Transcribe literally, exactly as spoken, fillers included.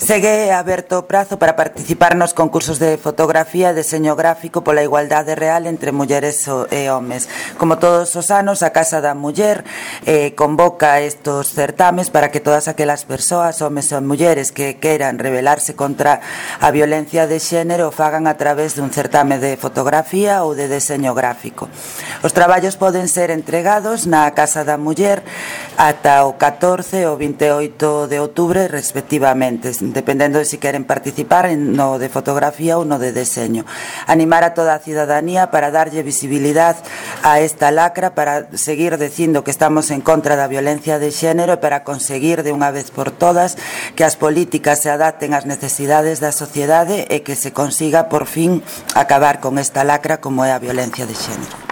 Segue aberto o prazo para participar nos concursos de fotografía e deseño gráfico pola igualdade real entre mulleres e homes. Como todos os anos, a Casa da Muller eh, convoca estos certames para que todas aquelas persoas, homes e mulleres, que queiran rebelarse contra a violencia de xénero o fagan a través dun certame de fotografía ou de deseño gráfico. Os traballos poden ser entregados na Casa da Muller ata o catorce ou vinte e oito de outubro respectivamente, dependendo de si queren participar no de fotografía ou no de deseño. Animar a toda a cidadanía para darlle visibilidade a esta lacra, para seguir dicindo que estamos en contra da violencia de xénero e para conseguir de unha vez por todas que as políticas se adapten ás necesidades da sociedade e que se consiga por fin acabar con esta lacra como é a violencia de xénero.